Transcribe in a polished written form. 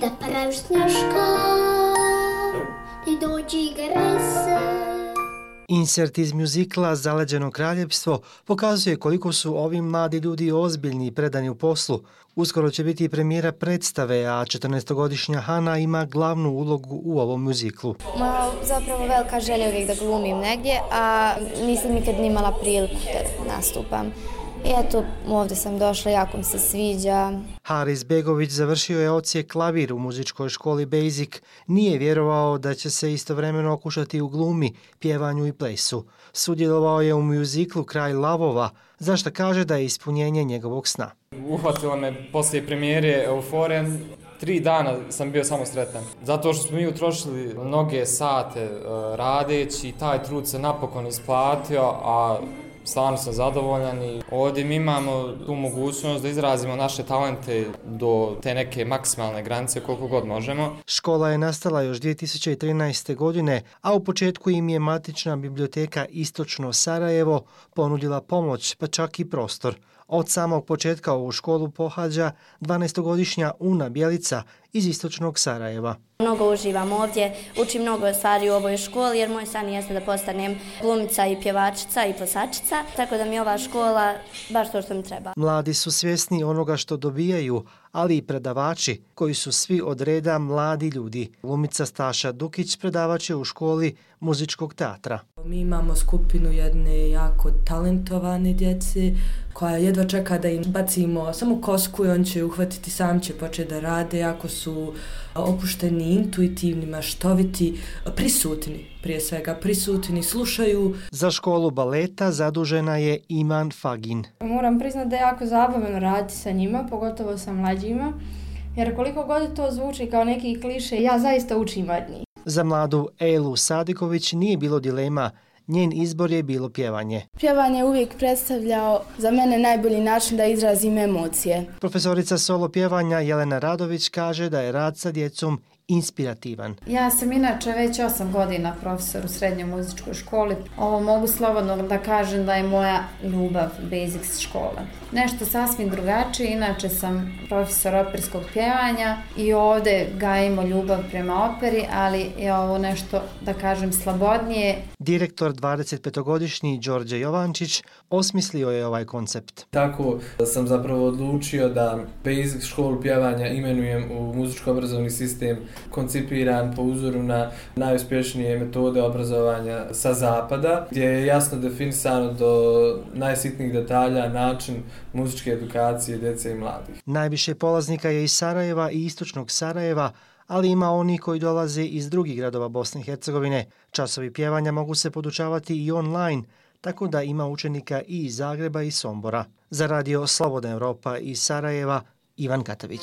da prašnjaška, ti dođi grese. Insert iz mjuzikla Zaleđeno kraljevstvo pokazuje koliko su ovi mladi ljudi ozbiljni i predani u poslu. Uskoro će biti i premijera predstave, a 14-godišnja Hana ima glavnu ulogu u ovom mjuziklu. Zapravo velika želja uvijek da glumim negdje, a nisam nikad nimala priliku da nastupam. I eto, ovdje sam došla, jako mi se sviđa. Haris Begović završio je odsjek klavir u muzičkoj školi Basic. Nije vjerovao da će se istovremeno okušati u glumi, pjevanju i plesu. Sudjelovao je u mjuziklu Kraj lavova, za što kaže da je ispunjenje njegovog sna. Uhvatila me poslije premijere euforija. 3 dana sam bio samo sretan. Zato što smo mi utrošili mnoge sate radeći, taj trud se napokon isplatio, a stvarno sam zadovoljan i ovdje mi imamo tu mogućnost da izrazimo naše talente do te neke maksimalne granice koliko god možemo. Škola je nastala još 2013. godine, a u početku im je matična biblioteka Istočno Sarajevo ponudila pomoć, pa čak i prostor. Od samog početka ovu školu pohađa 12-godišnja Una Bjelica iz Istočnog Sarajeva. Mnogo uživam ovdje, učim mnogo stvari u ovoj školi jer moj san jeste da postanem glumica i pjevačica i plesačica, tako da mi je ova škola baš to što mi treba. Mladi su svjesni onoga što dobijaju, ali i predavači koji su svi od reda mladi ljudi. Glumica Staša Dukić predavač je u školi muzičkog teatra. Mi imamo skupinu jedne jako talentovane djece koja jedva čeka da im bacimo samo kosku i on će uhvatiti, sam će početi da rade, jako su opušteni, intuitivni, maštoviti, prisutni, prije svega prisutni, slušaju. Za školu baleta zadužena je Iman Fagin. Moram priznati da je jako zabavno raditi sa njima, pogotovo sa mlađima, jer koliko god to zvuči kao neki kliše, ja zaista učim od njih. Za mladu Elu Sadiković nije bilo dilema, njen izbor je bilo pjevanje. Pjevanje je uvijek predstavljao za mene najbolji način da izrazim emocije. Profesorica solo pjevanja Jelena Radović kaže da je rad sa djecom inspirativan. Ja sam inače već 8 godina profesor u srednjoj muzičkoj školi. Ovo mogu slobodno da kažem da je moja ljubav Basics škole. Nešto sasvim drugačije, inače sam profesor operskog pjevanja i ovdje gajimo ljubav prema operi, ali je ovo nešto, da kažem, slobodnije. Direktor 25-godišnji Đorđe Jovančić osmislio je ovaj koncept. Tako sam zapravo odlučio da Basics školu pjevanja imenujem u muzičko-obrazovni sistem koncipiran po uzoru na najuspješnije metode obrazovanja sa zapada, gdje je jasno definisano do najsitnijih detalja način muzičke edukacije djece i mladih. Najviše polaznika je iz Sarajeva i Istočnog Sarajeva, ali ima oni koji dolaze iz drugih gradova Bosne i Hercegovine. Časovi pjevanja mogu se podučavati i online, tako da ima učenika i iz Zagreba i Sombora. Za radio Slobodna Europa iz Sarajeva, Ivan Katavić.